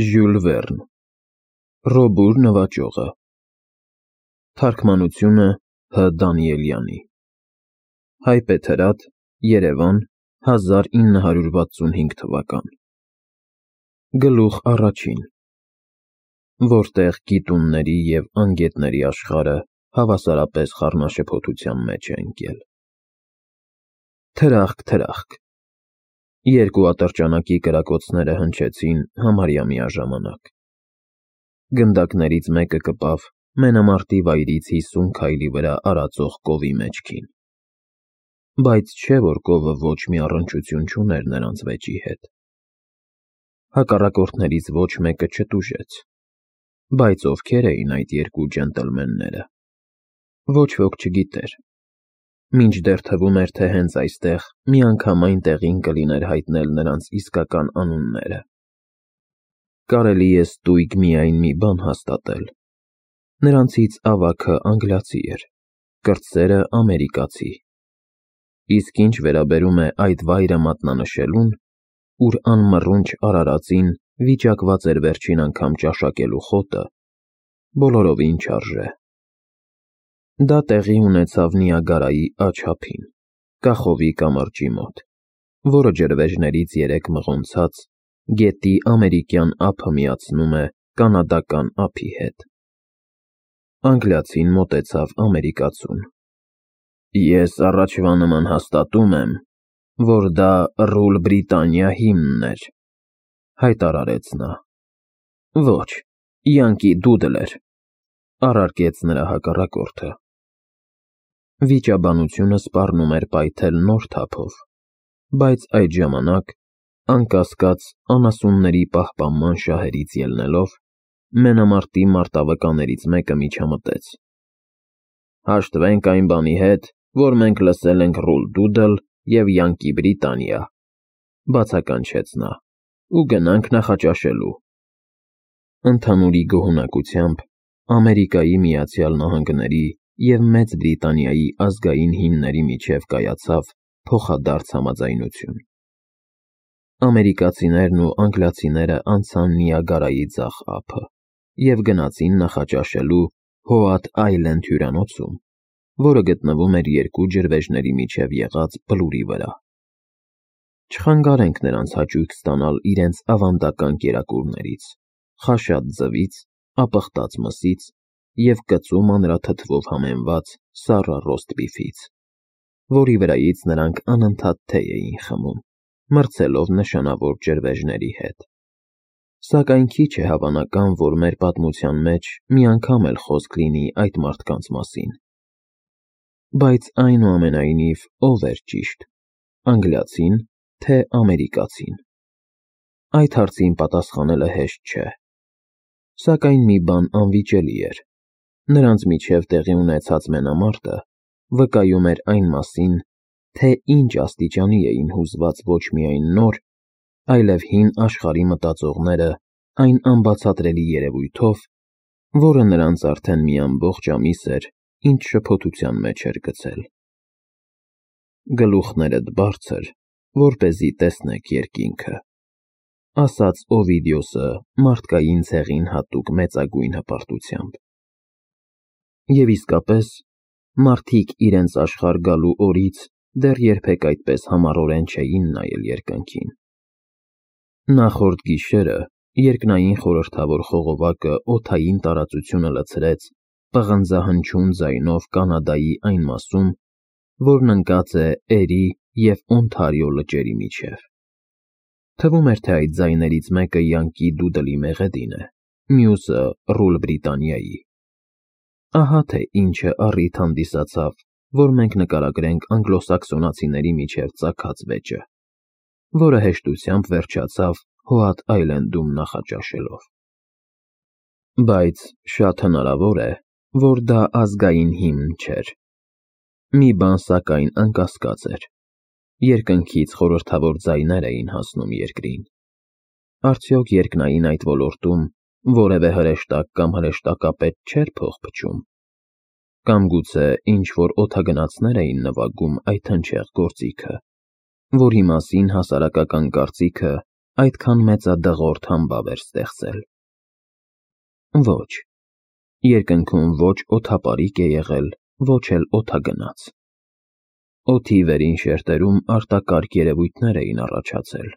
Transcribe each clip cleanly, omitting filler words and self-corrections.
Ժյուլ Վերն Ռոբուր նվաճողը Թարգմանությունը Հ. Դանիելյանի Հայպեթրատ, Երևան, 1965 թվական Գլուխ առաջին Որտեղ գիտունների և անգետների աշխարհը հավասարապես խառնաշփոթության մեջ է ընկել Թրախկ, երկու ատրճանակի կրակոցները հնչեցին համարյա միաժամանակ։ Գնդակներից մեկը կպավ մենամարտի վայրից 50 քայլի վրա արածող կովի մեջքին։ Բայց չէ, որ կովը ոչ մի առնչություն չուներ նրանց վեճի հետ։ Հակառակորդներից ոչ մեկը չտուժեց։ Բայց ովքեր էին այդ երկու ջենտլմենները։ Ոչ ոք չգիտեր։ Մինչդեռ թվում էր, թե հենց այստեղ միանգամայն տեղին կլիներ հայտնել նրանց իսկական անունները։ Կարելի է ստույգ միայն մի բան հաստատել. նրանցից ավագը անգլիացի էր, կրտսերը ամերիկացի։ Իսկ ինչ վերաբերում է այդ վայրը մատնանշելուն, ուր անմռունչ արարածին վիճակված էր վերջին անգամ ճաշակելու խոտը, բոլորովին չարժե։ Դա տեղի ունեցավ Նիագարայի աջ-ափին, Կախովի կամրջի մոտ, որը ջրվեժներից երեք մղոնցած գետի ամերիկյան ափը միացնում է կանադական ափի հետ։ Անգլիացին մոտեցավ ամերիկացուն։ Ես առաջվա նման հաստատում եմ, որ դա Ռուլ Բրիտանիա հիմնն էր, հայտարարեց նա։ Ոչ, Յանկի Դուդլեր, առարկեց նրա հակառակորդը։ Վիճաբանությունը սպառնում էր պայթել նոր թափով, բայց այդ ժամանակ, անկասկած անասունների պահպանման շահերից ելնելով, մենամարտի մարտավկաներից մեկը միջամտեց։ Հաշտվենք այն բանի հետ, որ մենք լսել ենք Ռուլ Դուդլ և Յանկի Բրիտանիա, բացականչեց նա, ու գնանք նախաճաշելու։ Ընդհանուրի գոհունակությամբ Ամերիկայի Միացյալ Նահանգների և Մեծ Բրիտանիայի ազգային հիմների միջև կայացավ փոխադարձ համաձայնություն։ Ամերիկացիներն ու անգլիացիները անցան Նիագարայի ձախ ափը և գնացին նախաճաշելու Հոաթ Այլենդ հյուրանոցում, որը գտնվում էր երկու ջրվեժների միջև եղած բլուրի վրա։ Չխանգարենք նրանց հաճույք ստանալ իրենց ավանդական կերակուրներից, խաշած ձվից, ապխտած մսից և կծու մանրաթթվով համեմված սառը ռոստբիֆից, որի վրայից նրանք անընդհատ թեյ էին խմում, մրցելով նշանավոր ջրվեժների հետ։ Սակայն քիչ է հավանական, որ մեր պատմության մեջ մի անգամ էլ խոսք լինի այդ մարդկանց մասին։ Բայց այնուամենայնիվ ով էր ճիշտ, անգլիացին, թե ամերիկացին։ Այդ հարցին պատասխանելը հեշտ չէ։ Սակայն մի բան անվիճելի էր. նրանց միջև տեղի ունեցած մենամարտը վկայում էր այն մասին, թե ինչ աստիճանի էին հուզված ոչ միայն նոր, այլև հին աշխարհի մտածողները այն անբացատրելի երևույթով, որը նրանց արդեն մի ամբողջ ամիս էր ինչ շփոթության մեջ էր գցել։ Գլուխներդ բարձր, որպեսզի տեսնեք երկինքը, ասաց Օվիդիոսը մարդկային ցեղին հատուկ մեծագույն հպարտությամբ։ Եվ իսկապես, մարդիկ իրենց աշխարհ գալու օրից դեռ երբեք այդպես համառորեն չէին նայել երկնքին։ Նախորդ գիշերը երկնային խորհրդավոր խողովակը օդային տարածությունը լցրեց պղնձահնչյուն ձայնով Կանադայի այն մասում, որն ընկած է Էրի և Օնթարիո լճերի միջև։ Թվում էր, թե այդ ձայներից մեկը Յանկի Դուդլի մեղեդին է, մյուսը Ռուլ Բրիտանիայի։ Ահա թե ինչը առիթ հանդիսացավ, որ մենք նկարագրենք անգլոսաքսոնացիների միջև ծագած վեճը, որը հեշտությամբ վերջացավ Հոաթ Այլենդում նախաճաշելով։ Բայց շատ հնարավոր է, որ դա ազգային հիմն չէր։ Մի բան սակայն անկասկած էր. երկնքից խորհրդավոր ձայներ էին հասնում երկրին։ Արդյոք երկնային այդ ոլորտում որևէ հրեշտակ կամ հրեշտակապետ չէր փող փչում։ Կամ գուցե ինչ-որ օդագնացներ էին նվագում այդ հնչեղ գործիքը, որի մասին հասարակական կարծիքը այդքան մեծադղորդ համբավ էր ստեղծել։ Ոչ, երկնքում ոչ օդապարիկ է եղել, ոչ էլ օդագնաց։ Օդի վերին շերտերում արտակարգ երևույթներ էին առաջացել,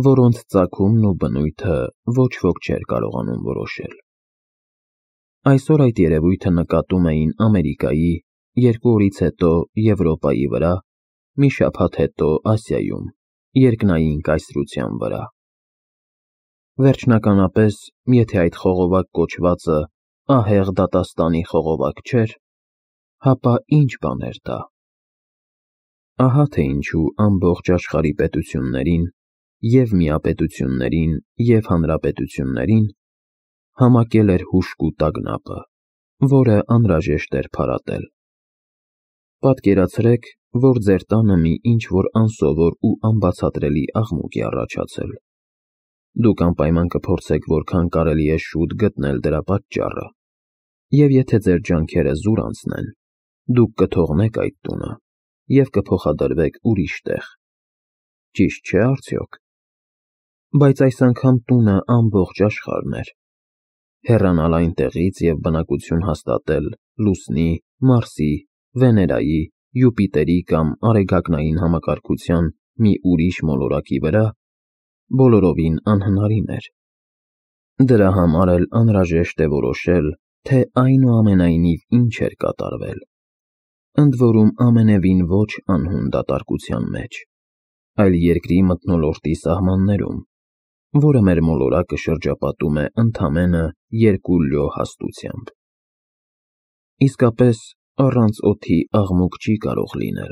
որոնց ծագումն ու բնույթը ոչ ոք չէր կարողանում որոշել։ Այսօր այդ երևույթը նկատում էին Ամերիկայի, 2 օրից հետո Եվրոպայի վրա, մի շաբաթ հետո Ասիայում, երկնային կայսրության վրա։ Վերջնականապես, եթե այդ խողովակ կոչվածը ահեղ դատաստանի խողովակ չէր, հապա ինչ բան էր դա։ Ահա թե ինչու ամբողջ աշխարհի պետություններին, և միապետություններին, և հանրապետություններին համակել էր հուժկու տագնապը, որը անհրաժեշտ էր փարատել։ Պատկերացրեք, որ ձեր տանը մի ինչ-որ անսովոր ու անբացատրելի աղմուկ է առաջացել։ Դուք անպայման կփորձեք որքան կարելի է շուտ գտնել դրա պատճառը, և եթե ձեր ջանքերը զուր անցնեն, դուք կթողնեք այդ տունը և կփոխադրվեք ուրիշ տեղ։ Ճիշտ չէ՞ արդյոք։ Բայց այս անգամ տունը ամբողջ աշխարհն էր։ Հեռանալ այնտեղից և բնակություն հաստատել Լուսնի, Մարսի, Վեներայի, Յուպիտերի կամ Արեգակնային համակարգության մի ուրիշ մոլորակի վրա բոլորովին անհնարին էր։ Դրա համար էլ անհրաժեշտ է որոշել, թե այնուամենայնիվ ինչ էր կատարվել, ընդ որում ամենևին ոչ անհուն դատարկության մեջ, այլ երկրի մթնոլորտի սահմաններում, որը մեր մոլորակը շրջապատում է ընդամենը 2 լյո հաստությամբ։ Իսկապես, առանց օդի աղմուկ չի կարող լինել,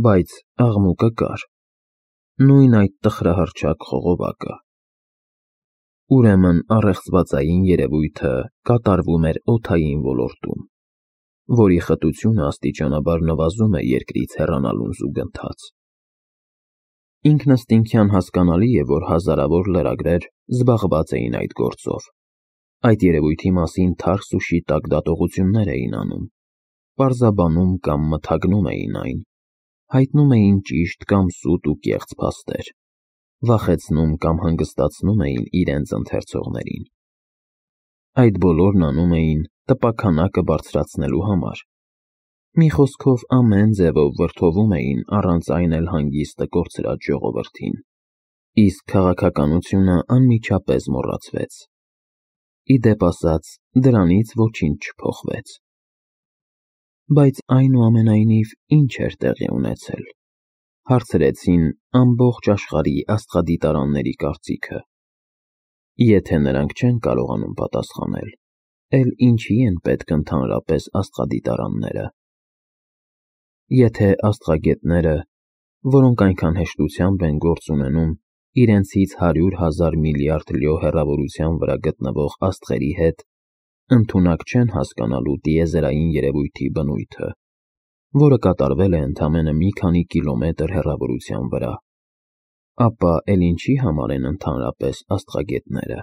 բայց աղմուկը կար, նույն այդ տխրահռչակ խողովակը։ Ուրեմն առեղծվածային երևույթը կատարվում էր օդային ոլորտում, որի խտությունը աստիճանաբար նվազում է երկրից հեռանալուն զուգընթաց։ Ինքնըստինքյան հասկանալի է, որ հազարավոր լրագրեր զբաղված էին այդ գործով, այդ երևույթի մասին թարս ու շիտակ դատողություններ էին անում, պարզաբանում կամ մթագնում էին այն, հայտնում էին ճիշտ կամ սուտ ու կեղծ փաստեր, վախեցնում կամ հանգստացնում էին իրենց ընթերցողներին։ Այդ բոլորն անում էին տպաքանակը բարձրացնելու համար։ Մի խոսքով ամեն ձևով վրդովում էին առանց այն էլ հանգիստը կորցրած ժողովրդին, իսկ քաղաքականությունը անմիջապես մոռացվեց։ Ի դեպ ասած, դրանից ոչինչ չփոխվեց։ Բայց այնուամենայնիվ ինչ էր տեղի ունեցել, հարցրեցին ամբողջ աշխարհի աստղադիտարանների կարծիքը։ Եթե նրանք չեն կարողանում պատասխանել, էլ ինչի են պետք ընդհանրապես աստղադիտարանները։ Եթե աստղագետները, որոնք այնքան հեշտությամբ են գործ ունենում իրենցից 100,000 միլիարդ լյո հեռավորության վրա գտնվող աստղերի հետ, ընդունակ չեն հասկանալու տիեզերային երևույթի բնույթը, որը կատարվել է ընդամենը մի քանի կիլոմետր հեռավորության վրա, ապա էլ ինչի համար են ընդհանրապես աստղագետները։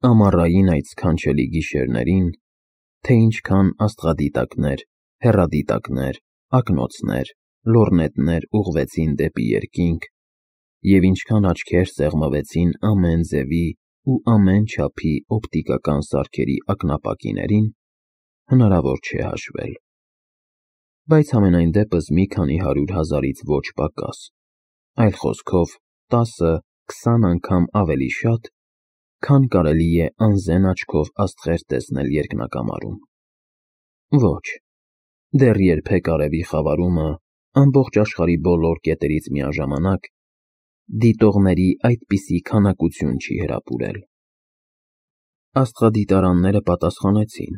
Ամառային այդ սքանչելի գիշերներին, թե ինչքան աստղադիտակներ, հեռադիտակներ, ակնոցներ, լոռնետներ ուղղվեցին դեպի երկինք, և ինչքան աչքեր սեղմվեցին ամեն ձևի ու ամեն չափի օպտիկական սարքերի ակնապակիներին, հնարավոր չէ հաշվել։ Բայց համենայն դեպս մի քանի 100,000-ից ոչ պակաս, այլ խոսքով 10-20 անգամ ավելի շատ, քան կարելի է անզեն աչքով աստղեր տեսնել երկնակամարում։ Ոչ, դեռ երբեք արևի խավարումը ամբողջ աշխարհի բոլոր կետերից միաժամանակ դիտողների այդպիսի քանակություն չի հրապուրել։ Աստղադիտարանները պատասխանեցին,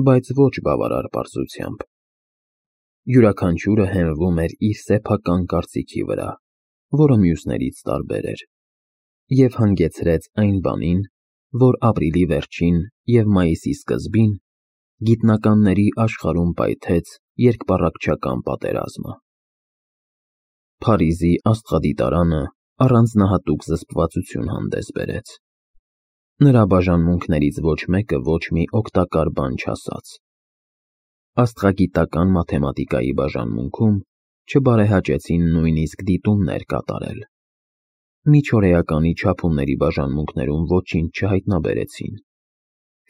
բայց ոչ բավարար պարզությամբ։ Յուրաքանչյուրը հենվում էր իր սեփական կարծիքի վրա, որը մյուսներից տարբեր էր, և հանգեցրեց այն բանին, որ ապրիլի վերջին և մայիսի սկզբին գիտնականների աշխարհում պայթեց երկպառակտչական պատերազմը։ Փարիզի աստղադիտարանը առանձնահատուկ զսպվածություն հանդես բերեց։ Նրա բաժանմունքներից ոչ մեկը ոչ մի օգտակար բան չասաց։ Աստղագիտական մաթեմատիկայի բաժանմունքում չբարեհաճեցին նույնիսկ դիտումներ կատարել։ Միջօրեականի չափումների բաժանմունքներում ոչինչ չհայտնաբերեցին։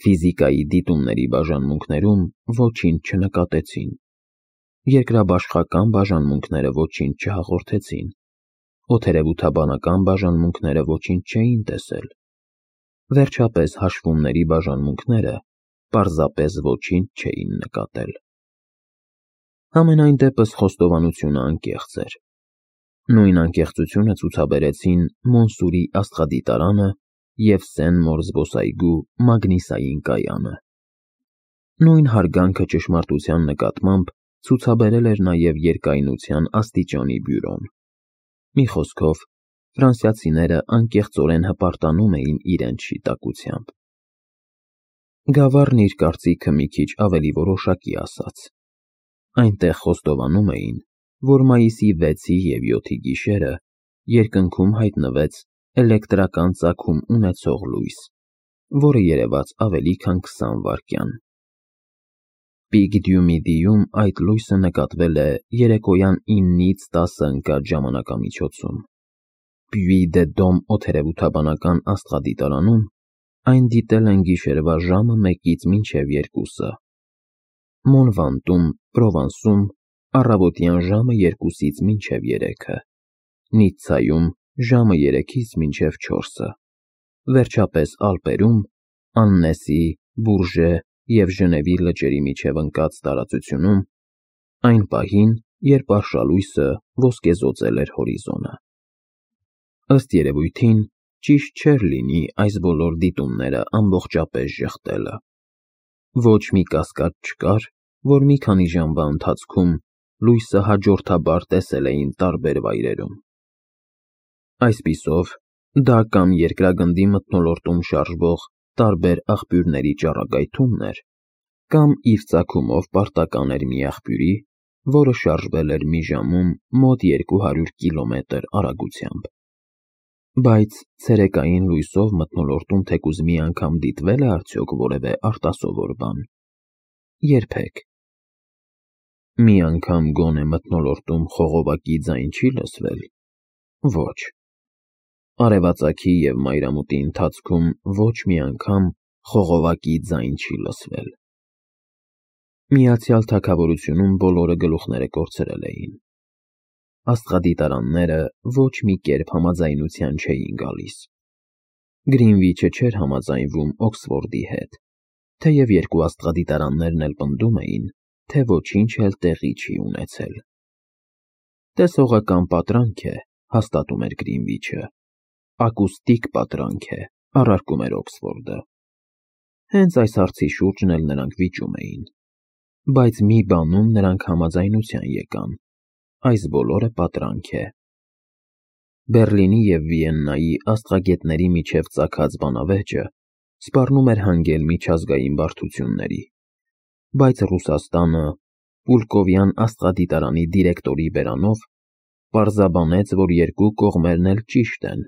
Ֆիզիկայի դիտումների բաժանմունքներում ոչինչ չնկատեցին։ Երկրաբաշխական բաժանմունքները ոչինչ չհաղորդեցին։ Օդերևութաբանական բաժանմունքները ոչինչ չէին տեսել։ Վերջապես հաշվումների բաժանմունքները պարզապես ոչինչ չէին նկատել։ Համենայն դեպս խոստովանությունը անկեղծ էր։ Նույն անկեղծությունը ցուցաբերեցին Մոնսուրի աստղադիտարանը և Սեն-Մոր զբոսայգու մագնիսային կայանը։ Նույն հարգանքը ճշմարտության նկատմամբ ցուցաբերել էր նաև երկայնության աստիճանի բյուրոն։ Մի խոսքով, ֆրանսիացիները անկեղծորեն հպարտանում էին իրենց շիտակությամբ։ Գավառն իր կարծիքը մի քիչ ավելի որոշակի ասաց։ Այնտեղ խոստովանում էին, որ մայիսի 6-ի և 7-ի գիշերը երկնքում հայտնվեց էլեկտրական ծագում ունեցող լույս, որը երևաց ավելի քան 20 վայրկյան։ Պիկ Դյումիդիում այդ լույսը նկատվել է երեկոյան 9-ից 10 ընկած ժամանակամիջոցում։ Պյուի դե Դոմ օդերևութաբանական աստղադիտարանում այն դիտել են գիշերվա ժամը 1-ից մինչև 2-ը։ Մոնվանտում, Պրովանսում առավոտյան ժամը 2-ից մինչև 3-ը, Նիցցայում ժամը 3-ից մինչև 4-ը, վերջապես Ալպերում, Աննեսի, Բուրժե և Ժնևի լճերի միջև ընկած տարածությունում, այն պահին, երբ արշալույսը ոսկեզօծել էր հորիզոնը։ Ըստ երևույթին, ճիշտ չէր լինի այս բոլոր դիտումները ամբողջապես ժխտելը։ Ոչ մի կասկած չկար, որ մի քանի ժամվա ընթացքում լույսը հաջորդաբար տեսել էին տարբեր վայրերում։ Այսպիսով, դա կամ երկրագնդի մթնոլորտում շարժվող տարբեր աղբյուրների ճառագայթումն էր, կամ իր ծագումով պարտական էր մի աղբյուրի, որը շարժվել էր մի ժամում մոտ 200 կիլոմետր արագությամբ։ Բայց ցերեկային լույսով մթնոլորտում թեկուզ մի անգամ դիտվե՞լ է արդյոք որևէ արտասովոր բան։ Երբեք։ Մի անգամ գոնե մթնոլորտում խողովակի ձայն չի լսվել։ Ոչ։ Արևածագի և մայրամուտի ընթացքում ոչ մի անգամ խողովակի ձայն չի լսվել։ Միացյալ Թագավորությունում բոլորը գլուխները կորցրել էին։ Աստղադիտարանները ոչ մի կերպ համաձայնության չէին գալիս։ Գրինվիչը չէր համաձայնվում Օքսֆորդի հետ, թեև երկու աստղադիտարաններն էլ պնդում էին, թե ոչինչ էլ տեղի չի ունեցել։ Տեսողական պատրանք է, հաստատում էր Գրինվիչը, ակուստիկ պատրանք է, առարկում էր Օքսֆորդը։ Հենց այս հարցի շուրջն էլ նրանք վիճում էին։ Բայց մի բանում նրանք համաձայնության եկան. այս բոլորը պատրանք է։ Բեռլինի և Վիեննայի աստղագետների միջև ծագած բանավեճը սպառնում էր հանգել միջազգային բարդությունների, բայց Ռուսաստանը, Պուլկովյան աստղադիտարանի դիրեկտորի բերանով, պարզաբանեց, որ երկու կողմերն էլ ճիշտ են։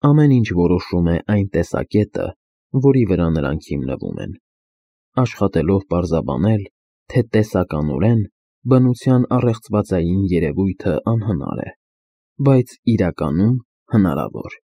Ամեն ինչ որոշում է այն տեսակետը, որի վրա նրանք հիմնվում են, աշխատելով պարզաբանել, թե տեսականորեն բնության առեղծվածային երևույթը անհնար է, բայց իրականում հնարավոր։